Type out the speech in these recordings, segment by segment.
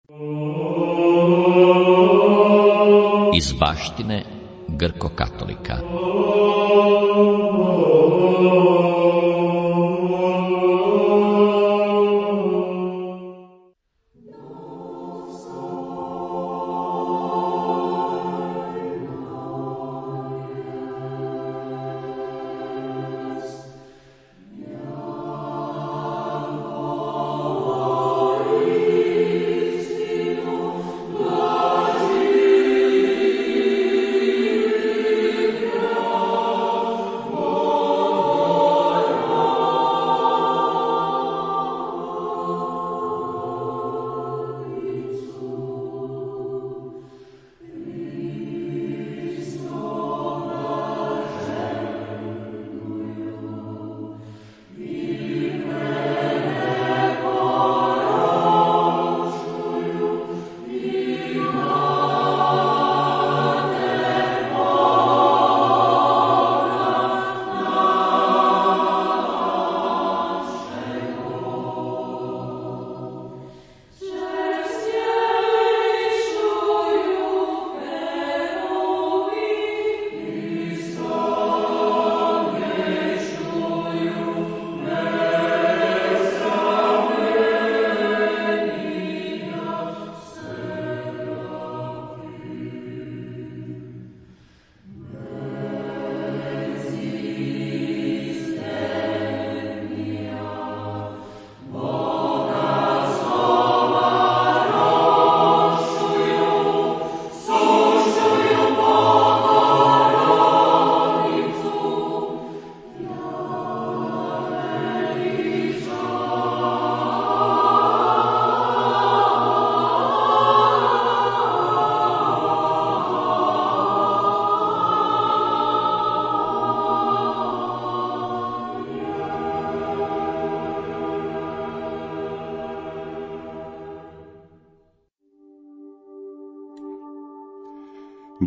Iz baštine Grko-katolika.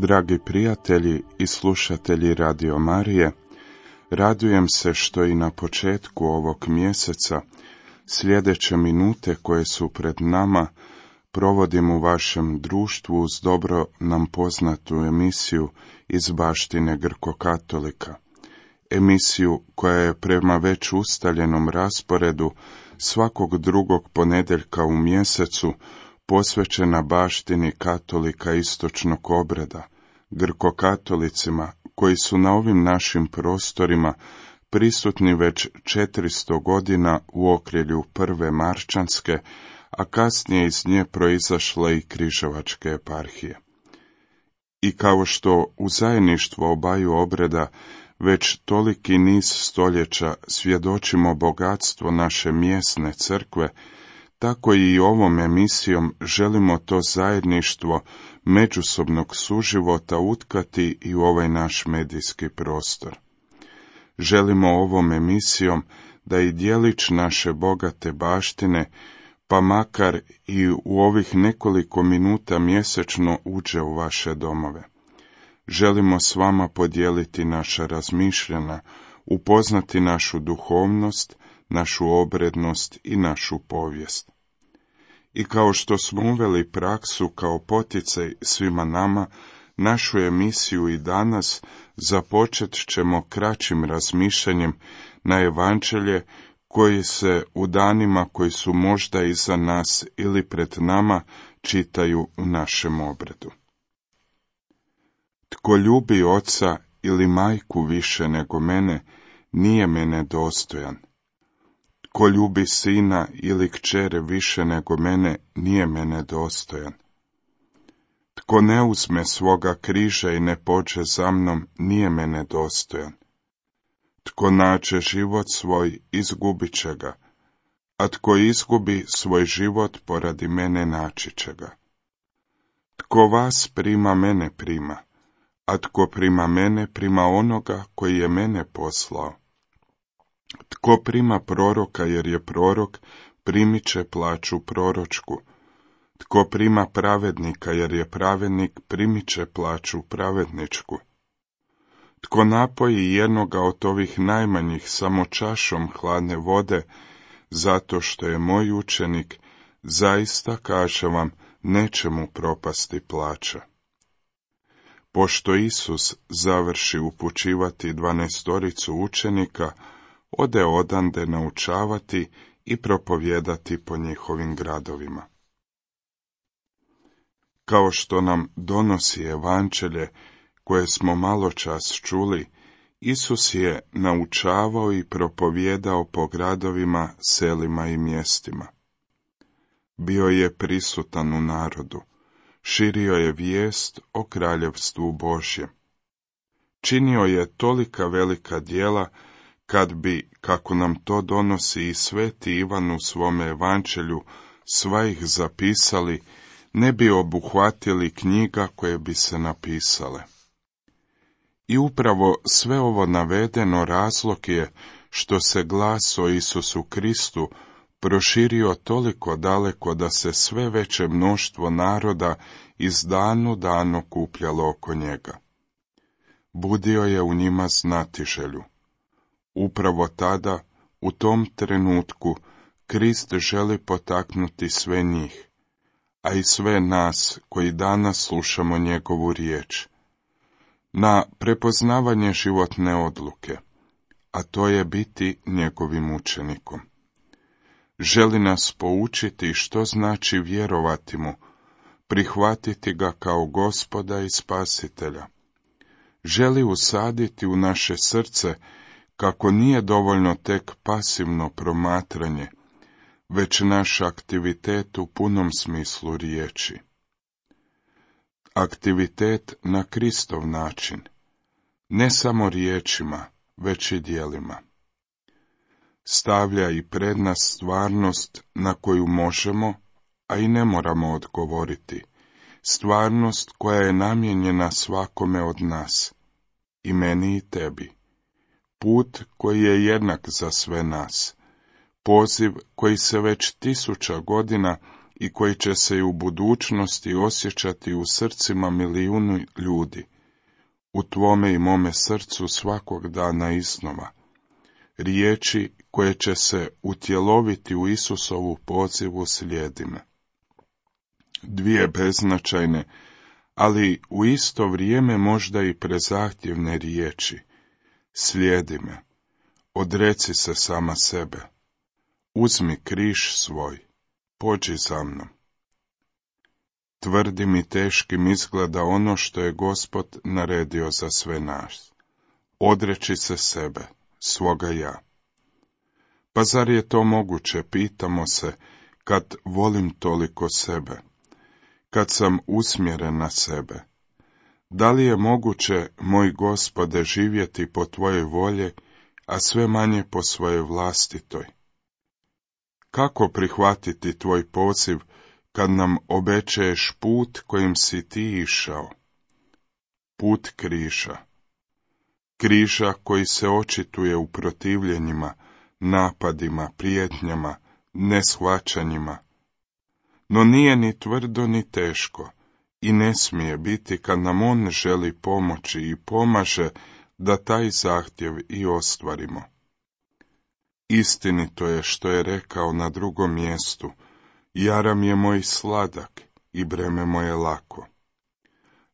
Dragi prijatelji i slušatelji Radio Marije, radujem se što i na početku ovog mjeseca sljedeće minute koje su pred nama provodim u vašem društvu uz dobro nam poznatu emisiju iz baštine Grko-katolika. Emisiju koja je prema već ustaljenom rasporedu svakog drugog ponedjeljka u mjesecu posvećena baštini katolika istočnog obreda, Grko-katolicima koji su na ovim našim prostorima prisutni već 400 godina u okrilju prve marčanske, a kasnije iz nje proizašle i križevačke eparhije. I kao što u zajedništvu obaju obreda već toliki niz stoljeća svjedočimo bogatstvo naše mjesne crkve, tako i ovom emisijom želimo to zajedništvo međusobnog suživota utkati i u ovaj naš medijski prostor. Želimo ovom emisijom da i djelić naše bogate baštine, pa makar i u ovih nekoliko minuta mjesečno uđe u vaše domove. Želimo s vama podijeliti naša razmišljanja, upoznati našu duhovnost, našu obrednost i našu povijest. I kao što smo uveli praksu kao poticaj svima nama, našu emisiju i danas započet ćemo kraćim razmišljanjem na evanđelje koji se u danima koji su možda iza nas ili pred nama čitaju u našem obredu. Tko ljubi oca ili majku više nego mene, nije mene dostojan. Tko ljubi sina ili kćere više nego mene, nije mene dostojan. Tko ne uzme svoga križa i ne pođe za mnom, nije mene dostojan. Tko nađe život svoj, izgubit će ga, a tko izgubi svoj život poradi mene, naći će ga. Tko vas prima, mene prima, a tko prima mene, prima onoga koji je mene poslao. Tko prima proroka jer je prorok, primit će plaću proročku. Tko prima pravednika jer je pravednik, primit će plaću pravedničku. Tko napoji jednoga od ovih najmanjih samo čašom hladne vode, zato što je moj učenik, zaista kažem vam neće mu propasti plaća. Pošto Isus završi upućivati 12 učenika, ode odande naučavati i propovijedati po njihovim gradovima. Kao što nam donosi evanđelje koje smo maločas čuli, Isus je naučavao i propovijedao po gradovima, selima i mjestima. Bio je prisutan u narodu, širio je vijest o kraljevstvu Božjem. Činio je tolika velika djela, kad bi, kako nam to donosi i sveti Ivan u svome evanđelju, sva ih zapisali, ne bi obuhvatili knjiga koje bi se napisale. I upravo sve ovo navedeno razlog je što se glas o Isusu Kristu proširio toliko daleko da se sve veće mnoštvo naroda iz danu danu okupljalo oko njega. Budio je u njima znatiželju. Upravo tada, u tom trenutku, Krist želi potaknuti sve njih, a i sve nas koji danas slušamo njegovu riječ, na prepoznavanje životne odluke, a to je biti njegovim učenikom. Želi nas poučiti što znači vjerovati mu, prihvatiti ga kao Gospoda i Spasitelja. Želi usaditi u naše srce kako nije dovoljno tek pasivno promatranje, već naš aktivitet u punom smislu riječi. Aktivitet na Kristov način, ne samo riječima, već i djelima. Stavlja i pred nas stvarnost na koju možemo, a i ne moramo odgovoriti, stvarnost koja je namijenjena svakome od nas, i meni i tebi. Put koji je jednak za sve nas, poziv koji se već 1000 godina i koji će se i u budućnosti osjećati u srcima milijunu ljudi, u tvome i mome srcu svakog dana iznova, riječi koje će se utjeloviti u Isusovu pozivu slijedi me. Dvije beznačajne, ali u isto vrijeme možda i prezahtjevne riječi. Slijedi me, odreci se sama sebe, uzmi križ svoj, pođi za mnom. Tvrdim i teškim izgleda ono što je Gospod naredio za sve nas. Odreći se sebe, svoga ja. Pa zar je to moguće, pitamo se, kad volim toliko sebe, kad sam usmjeren na sebe? Da li je moguće, moj Gospode, živjeti po tvojoj volji, a sve manje po svojoj vlastitoj? Kako prihvatiti tvoj poziv kad nam obećaješ put kojim si ti išao? Put križa. Križa koji se očituje u protivljenjima, napadima, prijetnjama, neshvaćanjima. No nije ni tvrdo ni teško i ne smije biti kad nam on želi pomoći i pomaže da taj zahtjev i ostvarimo. Istinito je što je rekao na drugom mjestu, jaram je moj sladak i breme moje lako.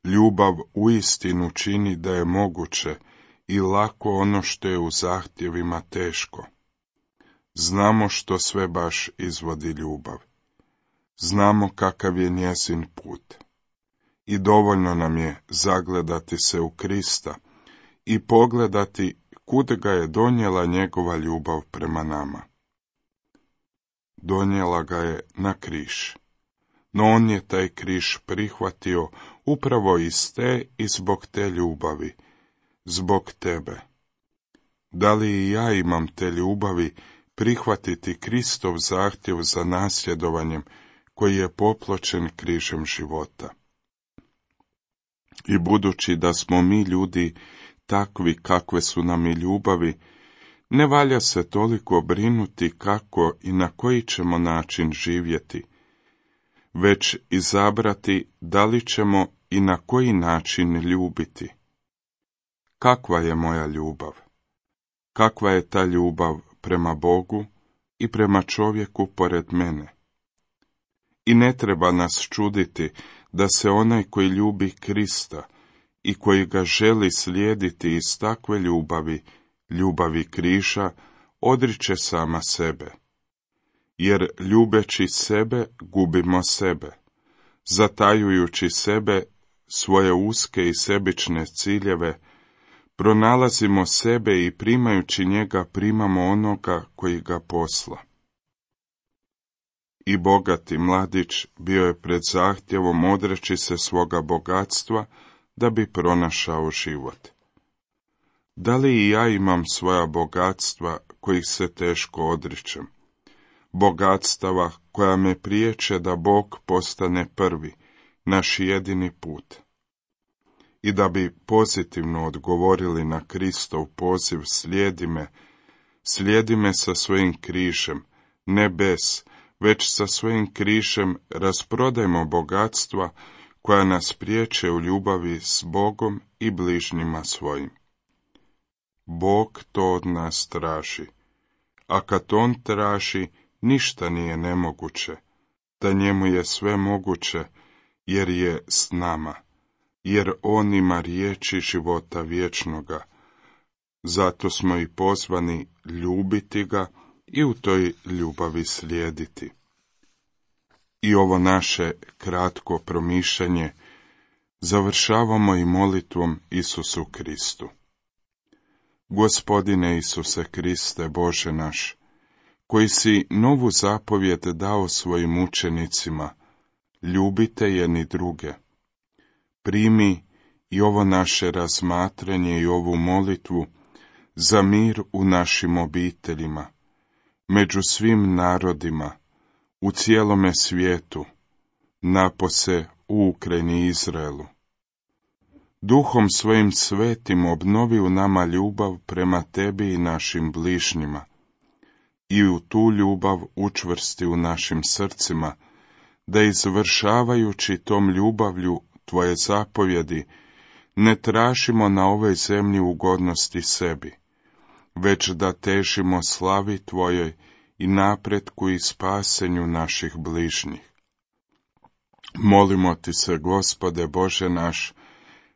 Ljubav uistinu čini da je moguće i lako ono što je u zahtjevima teško. Znamo što sve baš izvodi ljubav. Znamo kakav je njezin put. I dovoljno nam je zagledati se u Krista i pogledati kud ga je donijela njegova ljubav prema nama. Donijela ga je na križ. No on je taj križ prihvatio upravo iz te i zbog te ljubavi, zbog tebe. Da li i ja imam te ljubavi prihvatiti Kristov zahtjev za nasljedovanjem koji je popločen križem života? I budući da smo mi ljudi takvi kakve su nam i ljubavi, ne valja se toliko brinuti kako i na koji ćemo način živjeti, već izabrati da li ćemo i na koji način ljubiti. Kakva je moja ljubav? Kakva je ta ljubav prema Bogu i prema čovjeku pored mene? I ne treba nas čuditi da se onaj koji ljubi Krista i koji ga želi slijediti iz takve ljubavi križa, odriče sama sebe. Jer ljubeći sebe, gubimo sebe. Zatajujući sebe, svoje uske i sebične ciljeve, pronalazimo sebe i primajući njega primamo onoga koji ga posla. I bogati mladić bio je pred zahtjevom odreći se svoga bogatstva da bi pronašao život. Da li i ja imam svoja bogatstva kojih se teško odričem? Bogatstava koja me priječe da Bog postane prvi, naš jedini put. I da bi pozitivno odgovorili na Kristov poziv slijedi me sa svojim križem, ne bez, već sa svojim križem rasprodajmo bogatstva koja nas priječe u ljubavi s Bogom i bližnjima svojim. Bog to od nas traži, a kad on traži, ništa nije nemoguće, da njemu je sve moguće, jer je s nama, jer on ima riječi života vječnoga. Zato smo i pozvani ljubiti ga i u toj ljubavi slijediti. I ovo naše kratko promišljanje završavamo i molitvom Isusu Kristu. Gospodine Isuse Kriste, Bože naš, koji si novu zapovjed dao svojim učenicima, ljubite jedni druge. Primi i ovo naše razmatranje i ovu molitvu za mir u našim obiteljima, među svim narodima, u cijelome svijetu, napose u Ukrajini i Izraelu. Duhom svojim svetim obnovi u nama ljubav prema tebi i našim bližnjima, i u tu ljubav učvrsti u našim srcima, da izvršavajući tom ljubavlju tvoje zapovjedi, ne tražimo na ovoj zemlji ugodnosti sebi, već da težimo slavi tvojoj i napretku i spasenju naših bližnjih. Molimo ti se, Gospode Bože naš,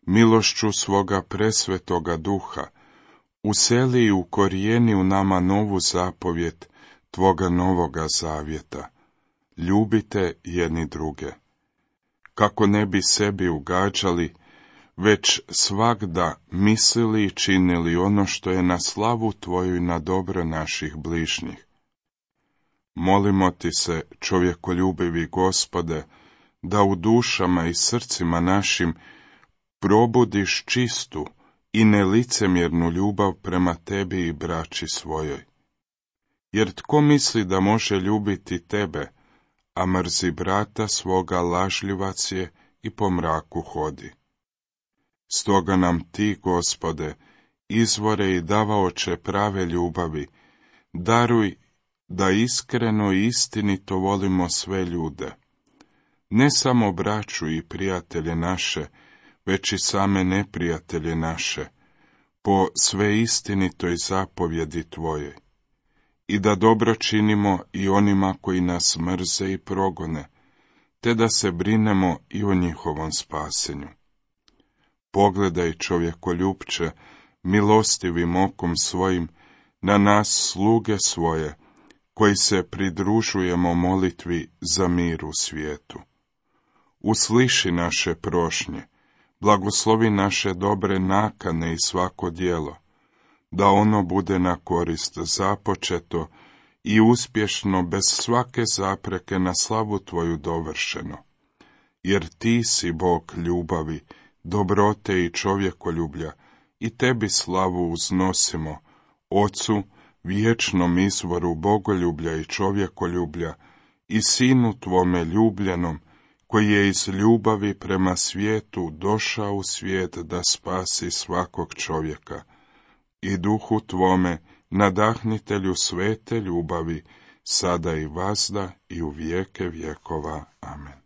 milošću svoga presvetoga duha, useli i ukorijeni u nama novu zapovjed tvoga novoga zavjeta. Ljubite jedni druge. Kako ne bi sebi ugađali, već svagda mislili i činili ono što je na slavu tvoju i na dobro naših bližnjih. Molimo ti se, čovjekoljubivi Gospode, da u dušama i srcima našim probudiš čistu i nelicemjernu ljubav prema tebi i braći svojoj. Jer tko misli da može ljubiti tebe, a mrzi brata svoga, lažljivac je i po mraku hodi. Stoga nam ti, Gospode, izvore i davaoče prave ljubavi, daruj da iskreno i istinito volimo sve ljude, ne samo braću i prijatelje naše, već i same neprijatelje naše, po sve istinitoj zapovjedi tvoje, i da dobro činimo i onima koji nas mrze i progone, te da se brinemo i o njihovom spasenju. Pogledaj, čovjekoljupče, milostivim okom svojim na nas sluge svoje, koji se pridružujemo molitvi za mir u svijetu. Usliši naše prošnje, blagoslovi naše dobre nakane i svako djelo, da ono bude na korist započeto i uspješno bez svake zapreke na slavu tvoju dovršeno. Jer ti si Bog ljubavi, dobrote i čovjekoljublja, i tebi slavu uznosimo, Ocu, vječnom izvoru bogoljublja i čovjekoljublja, i Sinu tvome ljubljenom, koji je iz ljubavi prema svijetu došao u svijet da spasi svakog čovjeka, i Duhu tvome, nadahnitelju svete ljubavi, sada i vazda i u vijeke vjekova. Amen.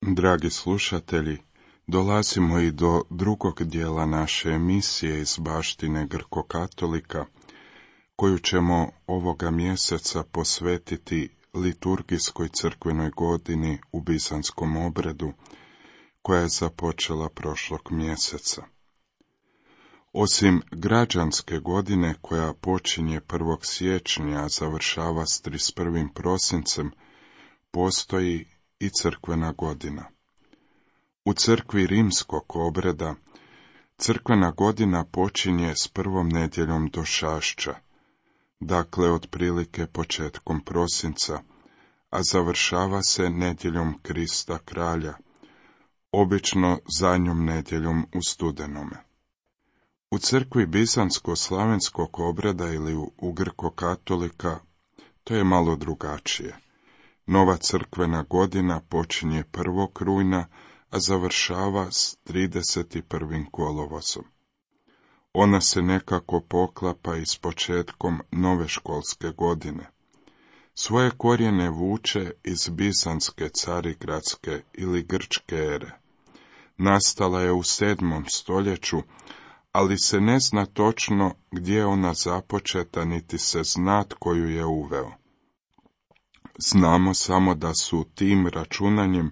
Dragi slušatelji, dolazimo i do drugog dijela naše emisije iz baštine Grko-katolika, koju ćemo ovoga mjeseca posvetiti liturgijskoj crkvenoj godini u bizanskom obredu, koja je započela prošlog mjeseca. Osim građanske godine, koja počinje 1. siječnja, a završava s 31. prosincem, postoji i crkvena godina. U crkvi rimskog obreda crkvena godina počinje s prvom nedjeljom došašća, dakle otprilike početkom prosinca, a završava se nedjeljom Krista kralja, obično zadnjom nedjeljom u studenome. U crkvi bizansko-slavenskog obreda ili u Grko-katolika to je malo drugačije. Nova crkvena godina počinje 1. rujna, a završava s 31. kolovozom. Ona se nekako poklapa i s početkom nove školske godine. Svoje korijene vuče iz bizanske carigradske ili grčke ere. Nastala je u 7. stoljeću, ali se ne zna točno gdje je ona započeta, niti se zna tko ju je uveo. Znamo samo da su tim računanjem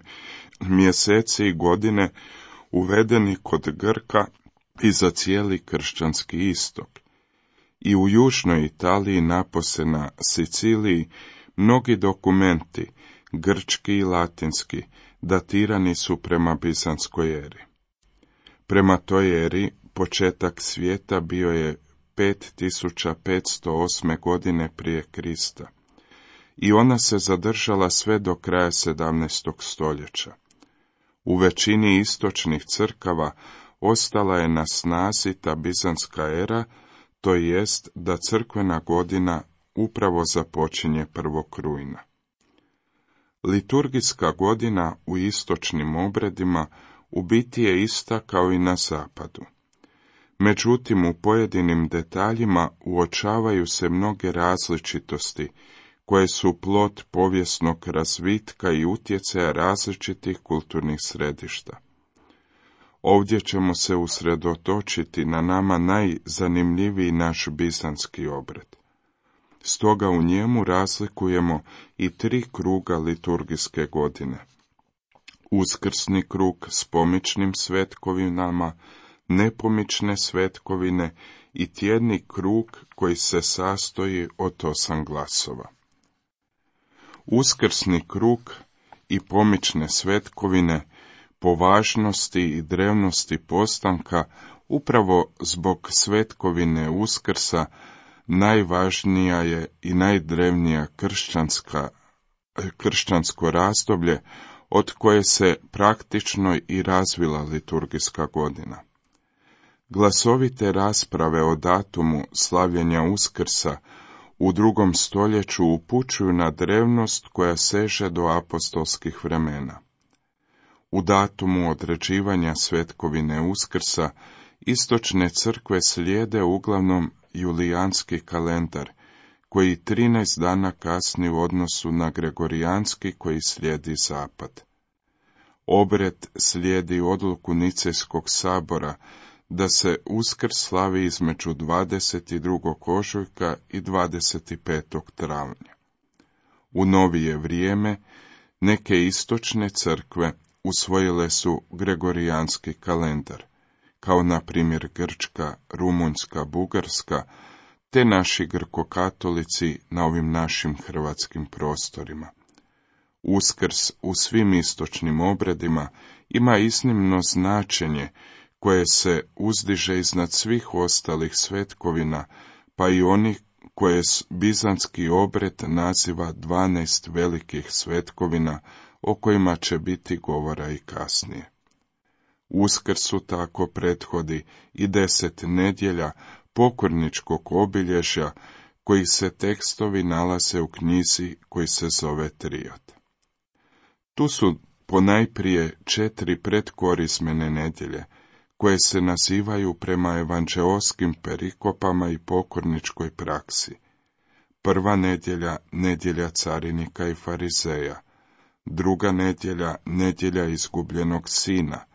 mjeseci i godine uvedeni kod Grka i za cijeli kršćanski istok. I u južnoj Italiji, napose na Siciliji, mnogi dokumenti, grčki i latinski, datirani su prema bizanskoj eri. Prema toj eri, početak svijeta bio je 5508. godine prije Krista. I ona se zadržala sve do kraja 17. stoljeća. U većini istočnih crkava ostala je na snazi ta bizanska era, to jest da crkvena godina upravo započinje 1. rujna. Liturgijska godina u istočnim obredima u biti je ista kao i na zapadu. Međutim, u pojedinim detaljima uočavaju se mnoge različitosti, koje su plod povijesnog razvitka i utjecaja različitih kulturnih središta. Ovdje ćemo se usredotočiti na nama najzanimljiviji naš bizanski obred. Stoga u njemu razlikujemo i 3 kruga liturgijske godine. Uskrsni krug s pomičnim svetkovinama, nepomične svetkovine i tjedni krug koji se sastoji od 8 glasova. Uskrsni krug i pomične svetkovine po važnosti i drevnosti postanka upravo zbog svetkovine Uskrsa najvažnija je i najdrevnija kršćansko razdoblje od koje se praktično i razvila liturgijska godina. Glasovite rasprave o datumu slavljenja Uskrsa u 2. stoljeću upućuju na drevnost koja seže do apostolskih vremena. U datumu određivanja svetkovine Uskrsa istočne crkve slijede uglavnom julijanski kalendar, koji 13 dana kasni u odnosu na gregorijanski koji slijedi zapad. Obred slijedi odluku Nicejskog sabora da se Uskrs slavi između 22. ožujka i 25. travnja. U novije vrijeme neke istočne crkve usvojile su gregorijanski kalendar, kao na primjer Grčka, Rumunjska, Bugarska, te naši grkokatolici na ovim našim hrvatskim prostorima. Uskrs u svim istočnim obredima ima iznimno značenje koje se uzdiže iznad svih ostalih svetkovina, pa i onih koje bizanski obred naziva 12 velikih svetkovina, o kojima će biti govora i kasnije. Uskrsu tako prethodi i 10 nedjelja pokorničkog obilježja, koji se tekstovi nalaze u knjizi koji se zove Triod. Tu su ponajprije 4 predkorizmene nedjelje, koje se nazivaju prema evanđeoskim perikopama i pokorničkoj praksi. Prva nedjelja, nedjelja carinika i farizeja. druga nedjelja, nedjelja izgubljenog sina,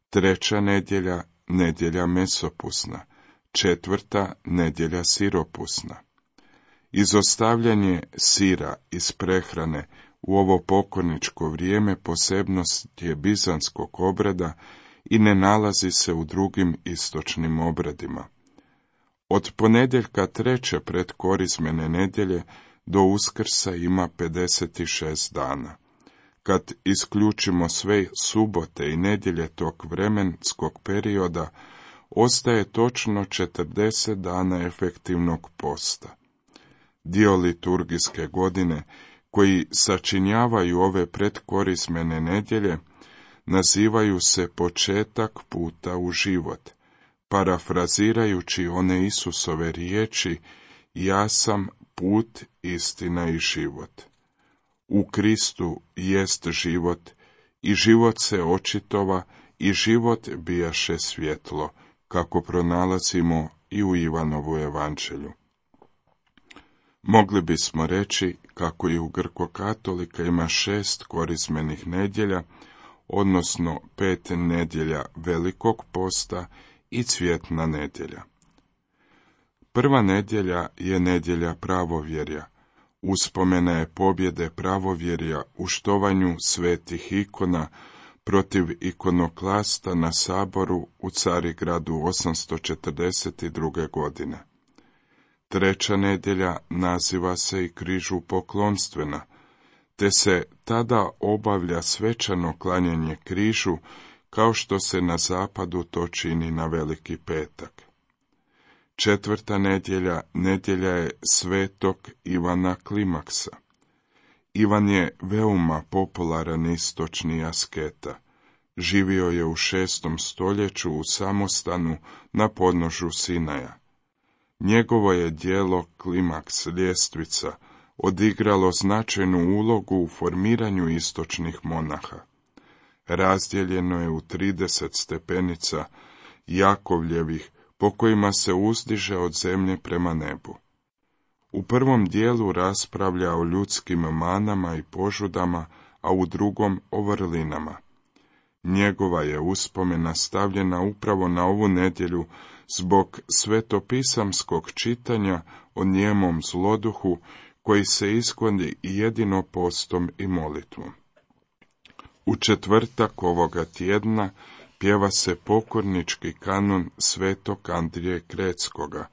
treća nedjelja, nedjelja mesopusna, četvrta nedjelja siropusna. Izostavljanje sira iz prehrane u ovo pokorničko vrijeme posebnost je bizanskog obreda i ne nalazi se u drugim istočnim obredima. Od ponedjeljka treće predkorizmene nedjelje do Uskrsa ima 56 dana. Kad isključimo sve subote i nedjelje tog vremenskog perioda, ostaje točno 40 dana efektivnog posta. Dio liturgijske godine, koji sačinjavaju ove predkorizmene nedjelje, nazivaju se početak puta u život, parafrazirajući one Isusove riječi: ja sam put, istina i život. U Kristu jest život, i život se očitova, i život bijaše svjetlo, kako pronalazimo i u Ivanovu evanđelju. Mogli bismo reći kako i u grkokatolika ima 6 korizmenih nedjelja, odnosno 5 nedjelja velikog posta i cvjetna nedjelja. Prva nedjelja je nedjelja pravovjerja. Uspomena je pobjede pravovjerja u štovanju svetih ikona protiv ikonoklasta na saboru u Carigradu 842. godine. Treća nedjelja naziva se i križu poklonstvena, te se tada obavlja svečano klanjanje križu, kao što se na zapadu to čini na Veliki petak. Četvrta nedjelja, nedjelja je svetog Ivana Klimaksa. Ivan je veoma popularan istočni asketa. Živio je u 6. stoljeću u samostanu na podnožju Sinaja. Njegovo je djelo Klimaks, ljestvica, odigralo značajnu ulogu u formiranju istočnih monaha. Razdijeljeno je u 30 stepenica Jakovljevih, po kojima se uzdiže od zemlje prema nebu. U prvom dijelu raspravlja o ljudskim manama i požudama, a u drugom o vrlinama. Njegova je uspomena stavljena upravo na ovu nedjelju zbog svetopisamskog čitanja o njemom zloduhu, koji se iskloni jedino postom i molitvom. U četvrtak ovoga tjedna pjeva se pokornički kanon svetog Andrije Kretskoga,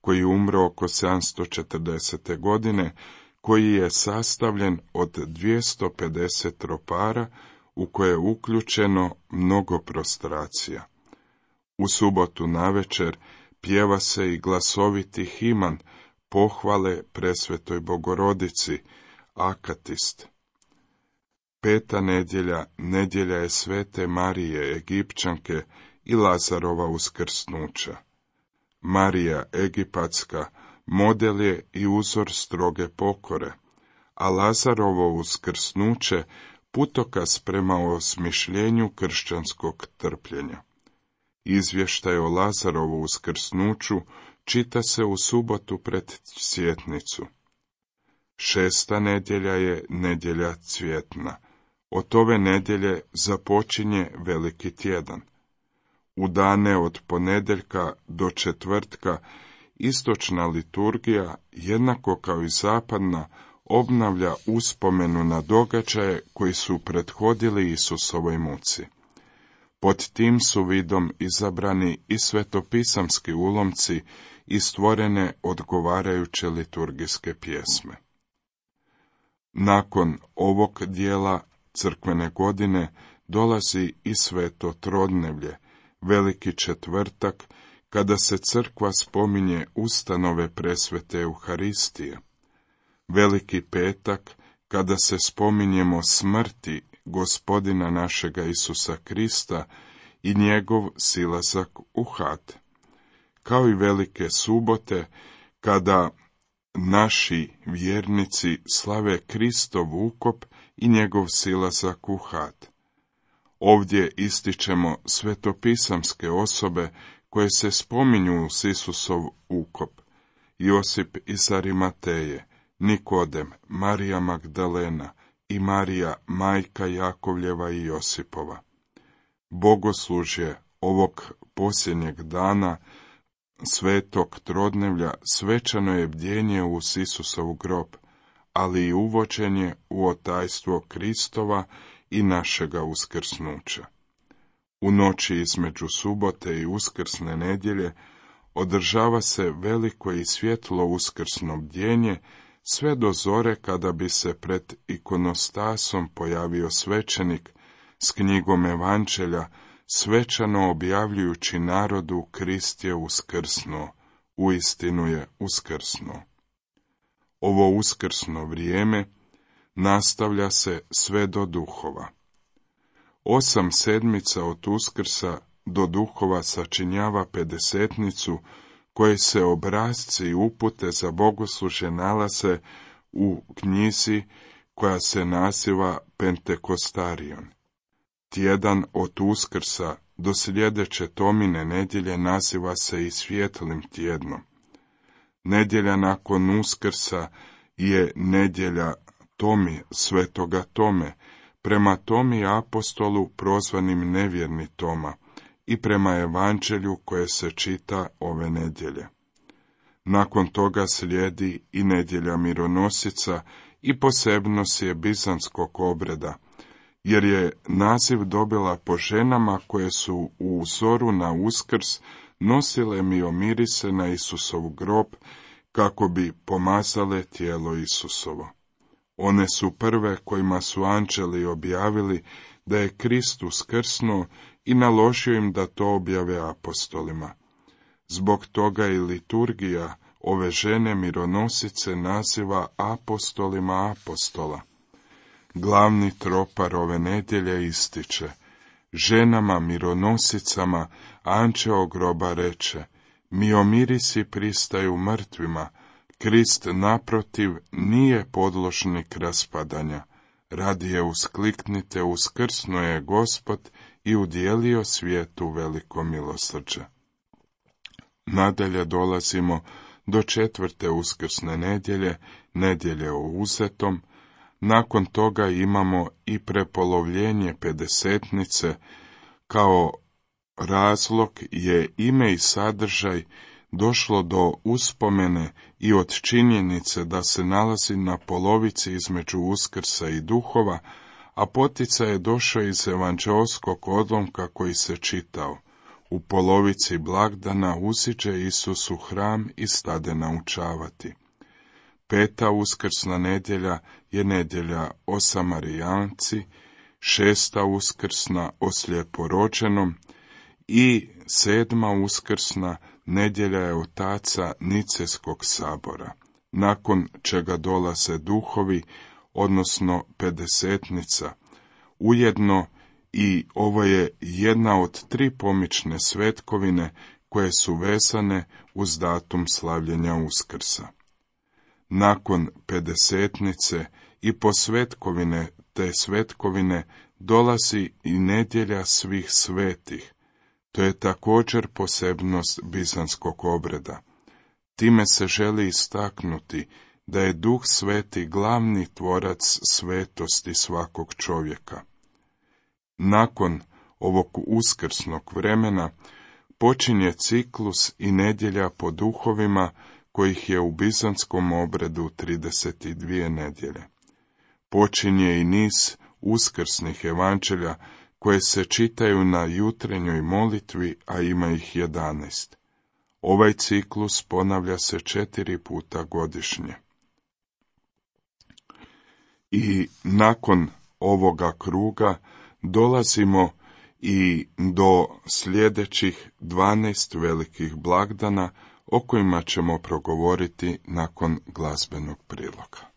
koji umro oko 740. godine, koji je sastavljen od 250 tropara u koje je uključeno mnogo prostracija. U subotu navečer pjeva se i glasoviti himan pohvale presvetoj Bogorodici, akatist. Peta nedjelja, nedjelja je svete Marije Egipćanke i Lazarova uskrsnuća. Marija Egipatska model je i uzor stroge pokore, a Lazarovo uskrsnuće putokaz prema osmišljenju kršćanskog trpljenja. Izvještaj o Lazarovu uskrsnuću čita se u subotu pred Sjetnicu. Šesta nedjelja je nedjelja cvjetna. Od ove nedjelje započinje Veliki tjedan. U dane od ponedjeljka do četvrtka istočna liturgija, jednako kao i zapadna, obnavlja uspomenu na događaje koji su prethodili Isusovoj muci. Pod tim su vidom izabrani i svetopisamski ulomci i stvorene odgovarajuće liturgijske pjesme. Nakon ovog dijela crkvene godine dolazi i sveto trodnevlje, Veliki četvrtak, kada se crkva spominje ustanove presvete Euharistije. Veliki petak, kada se spominjemo smrti Gospodina našega Isusa Krista i njegov silazak u had. Kao i velike subote, kada naši vjernici slave Kristov ukop i njegov silazak u had. Ovdje ističemo svetopisamske osobe koje se spominju uz Isusov ukop: Josip iz Arimateje, Nikodem, Marija Magdalena, i Marija, majka Jakovljeva i Josipova. Bogoslužje ovog posljednjeg dana svetog trodnevlja svečano je bdjenje uz Isusov grob, ali i uvođenje u otajstvo Kristova i našega uskrsnuća. U noći između subote i uskrsne nedjelje održava se veliko i svjetlo uskrsno bdjenje sve do zore, kada bi se pred ikonostasom pojavio svećenik s knjigom Evanđelja, svečano objavljujući narodu: Krist je uskrsnuo, uistinu je uskrsnuo. Ovo uskrsno vrijeme nastavlja se sve do Duhova. 8 sedmica od Uskrsa do Duhova sačinjava pedesetnicu, koje se obrasci i upute za bogoslužje nalaze u knjizi koja se naziva Pentekostarion. Tjedan od Uskrsa do sljedeće Tomine nedjelje naziva se i Svjetlim tjednom. Nedjelja nakon Uskrsa je nedjelja Tomi, svetoga Tome, prema Tomi apostolu prozvanim nevjerni Toma i prema Evanđelju koje se čita ove nedjelje. Nakon toga slijedi i nedjelja mironosica i posebnost je bizanskog obreda, jer je naziv dobila po ženama koje su u uzoru na Uskrs nosile miomirise na Isusov grob, kako bi pomazale tijelo Isusovo. One su prve kojima su anđeli objavili da je Krist uskrsnuo i naložio im da to objave apostolima. Zbog toga i liturgija ove žene mironosice naziva apostolima apostola. Glavni tropar ove nedjelje ističe: ženama mironosicama anđeo groba reče: miomirisi pristaju mrtvima, Krist naprotiv nije podložnik raspadanja. Radije uskliknite: uskrsnuo je Gospod i udjelio svijetu veliko milosrđe. Nadalje dolazimo do 4. uskrsne nedjelje, nedjelje o uzetom. Nakon toga imamo i prepolovljenje pedesetnice. Kao razlog je ime i sadržaj došlo do uspomene i od činjenice da se nalazi na polovici između Uskrsa i Duhova, a poticaj je došao iz evanđeoskog odlomka koji se čitao: u polovici blagdana usiđe Isus u hram i stade naučavati. 5. uskrsna nedjelja je nedjelja o Samarijanci, 6. uskrsna o slijeporođenom i 7. uskrsna nedjelja je otaca Nicejskog sabora, nakon čega dolaze duhovi, odnosno pedesetnica. Ujedno i ovo je jedna od 3 pomične svetkovine koje su vezane uz datum slavljenja Uskrsa. Nakon pedesetnice i po svetkovine te svetkovine dolazi i nedjelja svih svetih. To je također posebnost bizanskog obreda. Time se želi istaknuti da je Duh Sveti glavni tvorac svetosti svakog čovjeka. Nakon ovog uskrsnog vremena počinje ciklus i nedjelja po duhovima, kojih je u bizanskom obredu 32 nedjelje. Počinje i niz uskrsnih evanđelja koje se čitaju na jutrenjoj molitvi, a ima ih 11. Ovaj ciklus ponavlja se 4 puta godišnje. I nakon ovoga kruga dolazimo i do sljedećih 12 velikih blagdana, o kojima ćemo progovoriti nakon glazbenog priloga.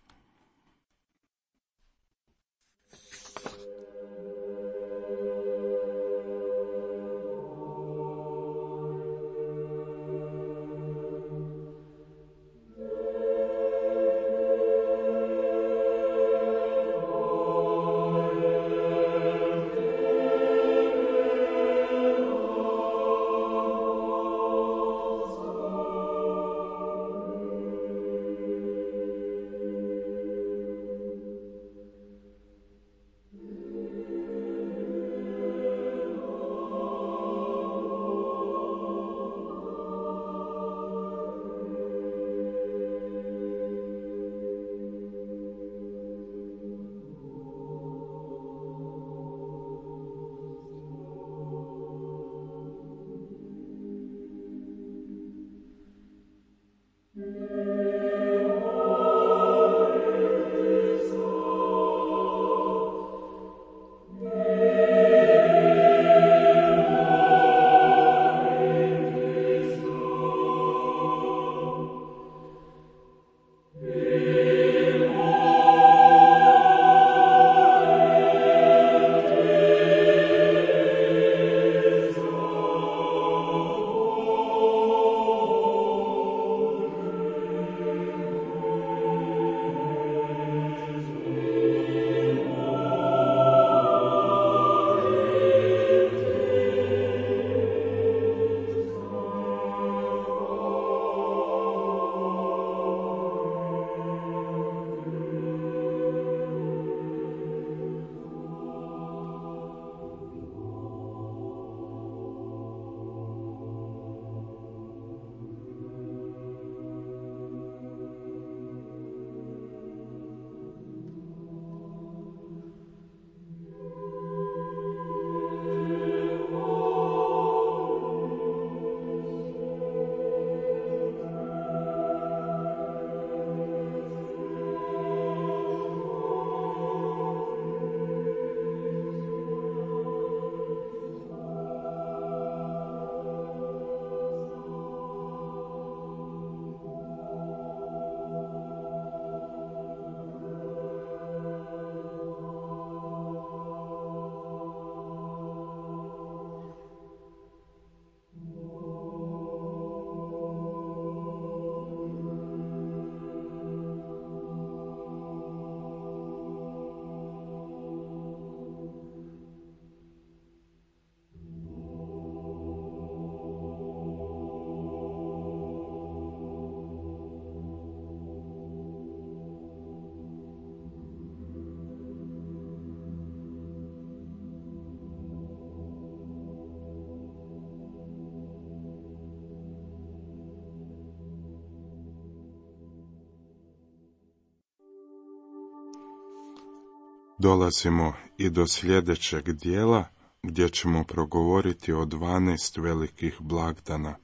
Dolazimo i do sljedećeg dijela gdje ćemo progovoriti o 12 velikih blagdana.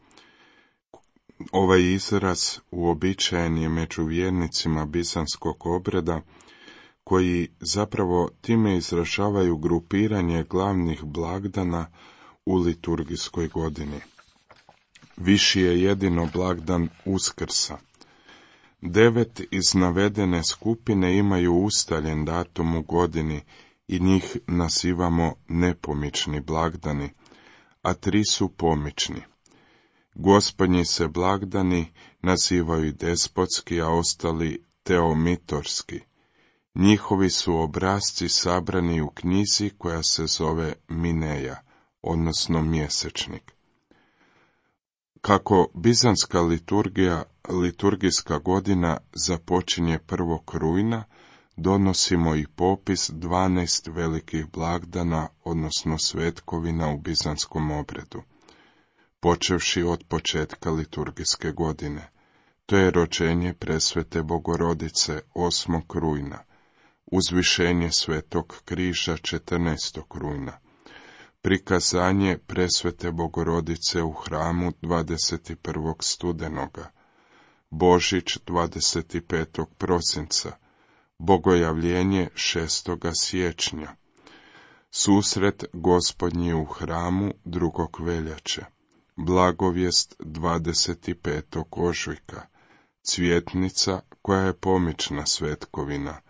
Ovaj izraz uobičajen je među vjernicima bizanskog obreda, koji zapravo time izražavaju grupiranje glavnih blagdana u liturgijskoj godini. Viši je jedino blagdan Uskrsa. 9 iz navedene skupine imaju ustaljen datum u godini i njih nazivamo nepomični blagdani, a 3 su pomični. Gospodnji se blagdani nazivaju despotski, a ostali teomitorski. Njihovi su obrasci sabrani u knjizi koja se zove Mineja, odnosno mjesečnik. Kako bizanska liturgijska godina započinje 1. rujna, donosimo i popis 12 velikih blagdana, odnosno svetkovina u bizanskom obredu, počevši od početka liturgijske godine. To je rođenje presvete Bogorodice 8. rujna, uzvišenje Svetog križa 14. rujna, prikazanje presvete Bogorodice u hramu 21. studenoga, Božić 25. prosinca, Bogojavljenje 6. siječnja, susret Gospodnji u hramu 2. veljače, blagovijest 25. ožujka, cvjetnica koja je pomična svetkovina,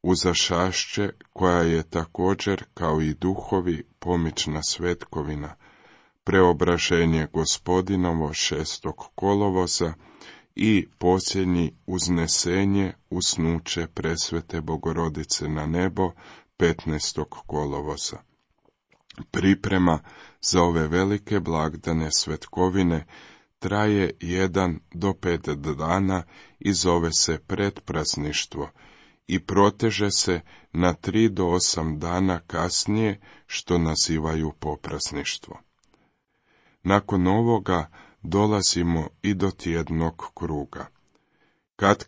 uzašašće koja je također kao i duhovi pomična svetkovina, preobraženje Gospodinovo 6. kolovoza i posljednji uznesenje, usnuće presvete Bogorodice na nebo 15. kolovoza. Priprema za ove velike blagdane svetkovine traje 1 do 5 dana i zove se predprazništvo i proteže se na 3 do 8 dana kasnije, što nazivaju poprazništvo. Nakon ovoga dolazimo i do tjednog kruga.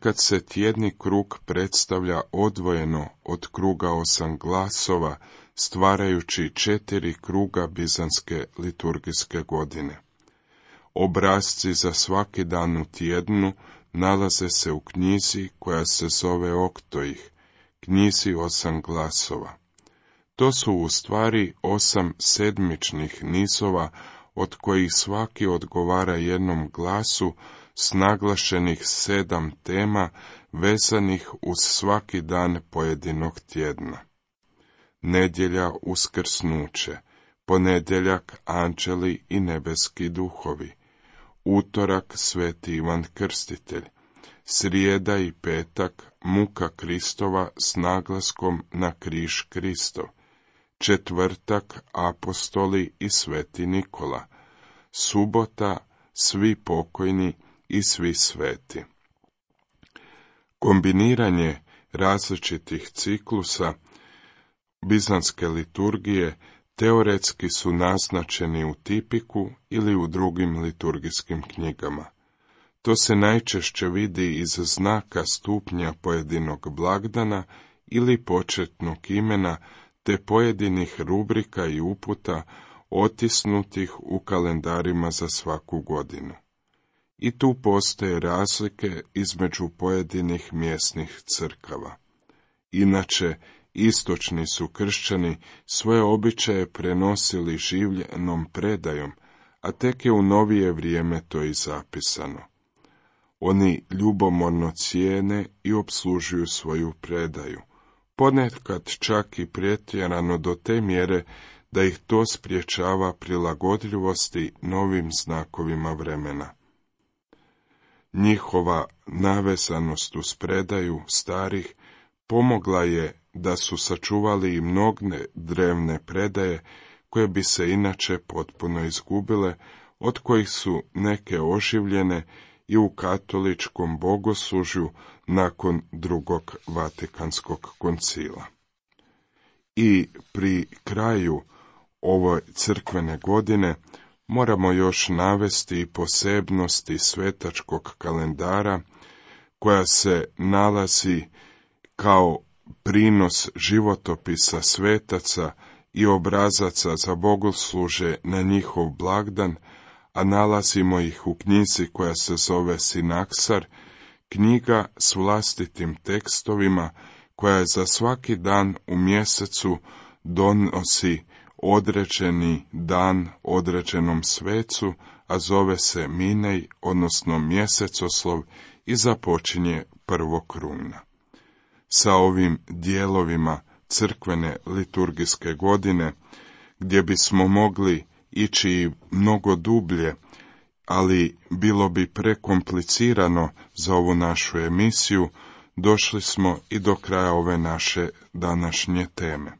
Kad se tjedni krug predstavlja odvojeno od kruga 8 glasova, stvarajući 4 kruga bizanske liturgijske godine. Obrasci za svaki dan u tjednu nalaze se u knjizi koja se zove Oktoih, knjizi 8 glasova. To su u stvari 8 sedmičnih nizova, od kojih svaki odgovara jednom glasu s naglašenih 7 tema vezanih uz svaki dan pojedinog tjedna. Nedjelja uskrsnuće, ponedjeljak anđeli i nebeski duhovi, utorak sveti Ivan Krstitelj, srijeda i petak muka Kristova s naglaskom na križ Kristov, četvrtak apostoli i sveti Nikola, subota svi pokojni i svi sveti. Kombiniranje različitih ciklusa bizanske liturgije teoretski su naznačeni u tipiku ili u drugim liturgijskim knjigama. To se najčešće vidi iz znaka stupnja pojedinog blagdana ili početnog imena, te pojedinih rubrika i uputa otisnutih u kalendarima za svaku godinu. I tu postoje razlike između pojedinih mjesnih crkava. Inače, istočni su kršćani svoje običaje prenosili življenom predajom, a tek je u novije vrijeme to i zapisano. Oni ljubomorno cijene i opslužuju svoju predaju, ponekad čak i pretjerano do te mjere da ih to spriječava prilagodljivosti novim znakovima vremena. Njihova navezanost uz predaju starih pomogla je da su sačuvali i mnoge drevne predaje koje bi se inače potpuno izgubile, od kojih su neke oživljene i u katoličkom bogoslužju nakon Drugog Vatikanskog koncila. I pri kraju ove crkvene godine moramo još navesti i posebnosti svetačkog kalendara, koja se nalazi kao prinos životopisa svetaca i obrazaca za bogoslužje na njihov blagdan, a nalazimo ih u knjizi koja se zove Sinaksar, knjiga s vlastitim tekstovima koja je za svaki dan u mjesecu donosi određeni dan određenom svecu, a zove se Minej, odnosno mjesecoslov, i započinje 1. rujna. Sa ovim dijelovima crkvene liturgijske godine, gdje bismo mogli ići i mnogo dublje, ali bilo bi prekomplicirano za ovu našu emisiju, došli smo i do kraja ove naše današnje teme.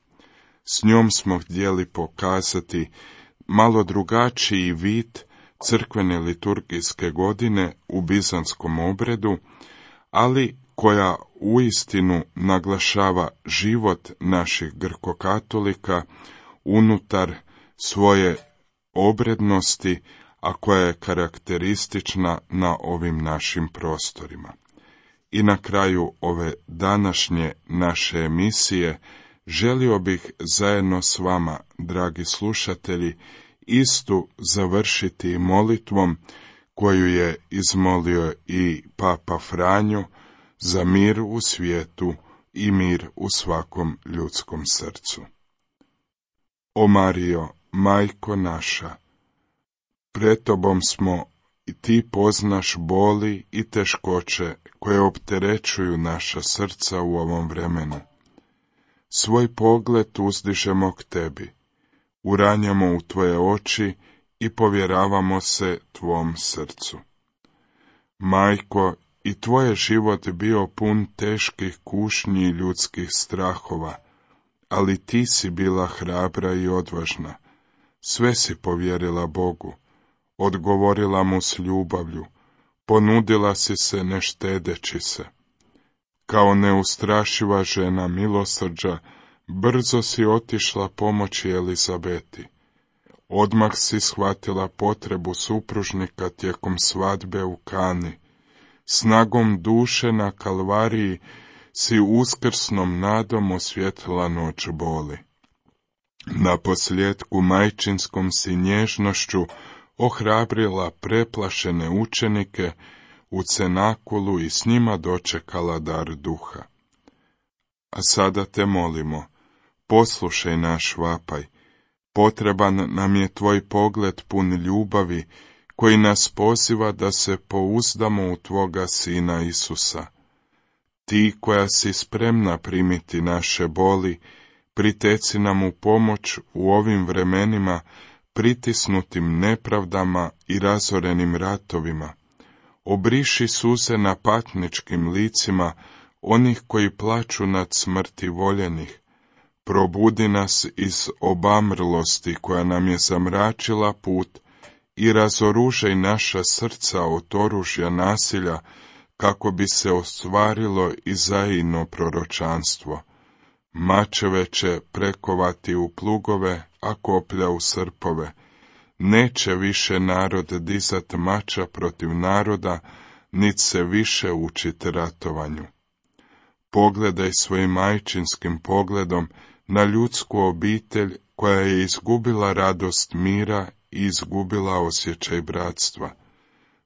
S njom smo htjeli pokazati malo drugačiji vid crkvene liturgijske godine u bizanskom obredu, ali koja uistinu naglašava život naših grkokatolika unutar svoje obrednosti, a koja je karakteristična na ovim našim prostorima. I na kraju ove današnje naše emisije želio bih zajedno s vama, dragi slušatelji, istu završiti molitvom koju je izmolio i Papa Franjo za mir u svijetu i mir u svakom ljudskom srcu. O Marijo, majko naša, pred tobom smo i ti poznaš boli i teškoće koje opterećuju naša srca u ovom vremenu. Svoj pogled uzdižemo k tebi, uranjamo u tvoje oči i povjeravamo se tvom srcu. Majko, i tvoj je život bio pun teških kušnji i ljudskih strahova, ali ti si bila hrabra i odvažna. Sve si povjerila Bogu, odgovorila mu s ljubavlju, ponudila si se ne štedeći se. Kao neustrašiva žena milosrđa, brzo si otišla pomoći Elizabeti. Odmah si shvatila potrebu supružnika tijekom svadbe u Kani. Snagom duše na Kalvariji si uskrsnom nadom osvijetlila noć boli. Na posljetku majčinskom si nježnošću ohrabrila preplašene učenike u cenakulu i s njima dočekala dar duha. A sada te molimo, poslušaj naš vapaj, potreban nam je tvoj pogled pun ljubavi, koji nas poziva da se pouzdamo u tvoga Sina Isusa. Ti koja si spremna primiti naše boli, priteci nam u pomoć u ovim vremenima, pritisnutim nepravdama i razorenim ratovima. Obriši suze na patničkim licima onih koji plaču nad smrti voljenih. Probudi nas iz obamrlosti koja nam je zamračila put i razoružaj naša srca od oružja nasilja, kako bi se ostvarilo Izaijino proročanstvo. Mačeve će prekovati u plugove, a koplja u srpove. Neće više narod dizat mača protiv naroda, nit se više učit ratovanju. Pogledaj svojim majčinskim pogledom na ljudsku obitelj koja je izgubila radost mira i izgubila osjećaj bratstva.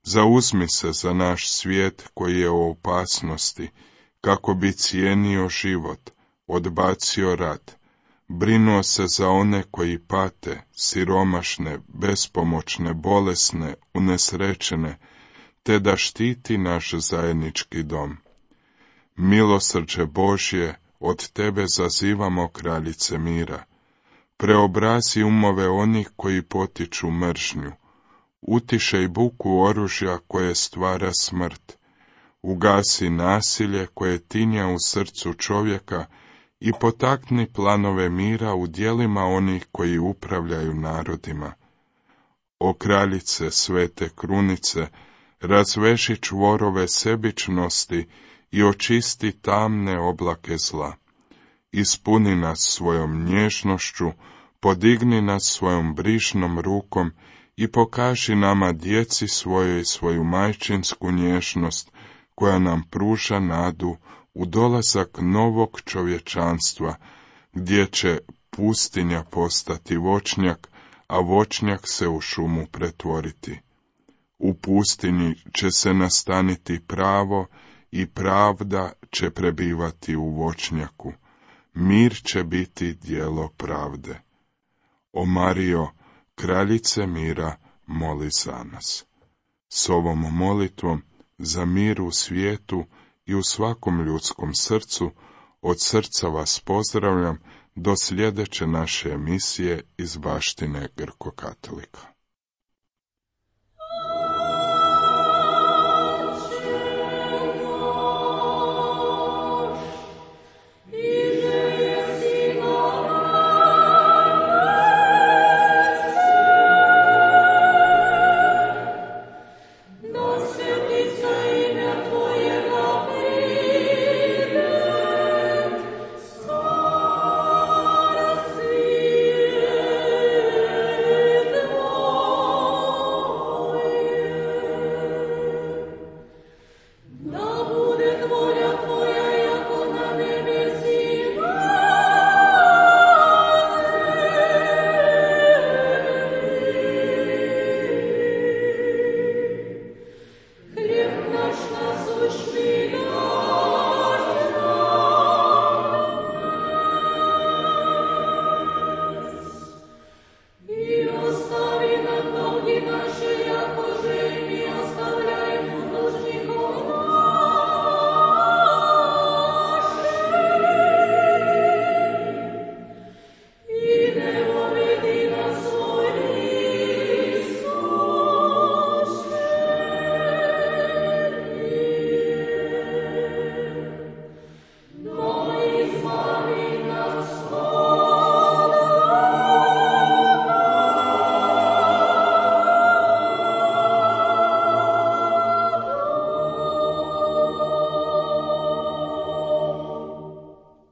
Zauzmi se za naš svijet koji je u opasnosti, kako bi cijenio život, odbacio rat, brinuo se za one koji pate, siromašne, bespomoćne, bolesne, unesrećene, te da štiti naš zajednički dom. Milosrđe Božje, od tebe zazivamo, kraljice mira. Preobrazi umove onih koji potiču mržnju. Utišaj buku oružja koje stvara smrt. Ugasi nasilje koje tinja u srcu čovjeka i potakni planove mira u djelima onih koji upravljaju narodima. O kraljice svete krunice, razveši čvorove sebičnosti i očisti tamne oblake zla. Ispuni nas svojom nježnošću, podigni nas svojom brižnom rukom i pokaži nama, djeci svojoj, svoju majčinsku nježnost, koja nam pruža nadu u dolazak novog čovječanstva, gdje će pustinja postati voćnjak, a voćnjak se u šumu pretvoriti. U pustinji će se nastaniti pravo i pravda će prebivati u voćnjaku. Mir će biti djelo pravde. O Marijo, kraljice mira, moli za nas. S ovom molitvom za mir u svijetu i u svakom ljudskom srcu, od srca vas pozdravljam do sljedeće naše emisije iz baštine Grko-katolika.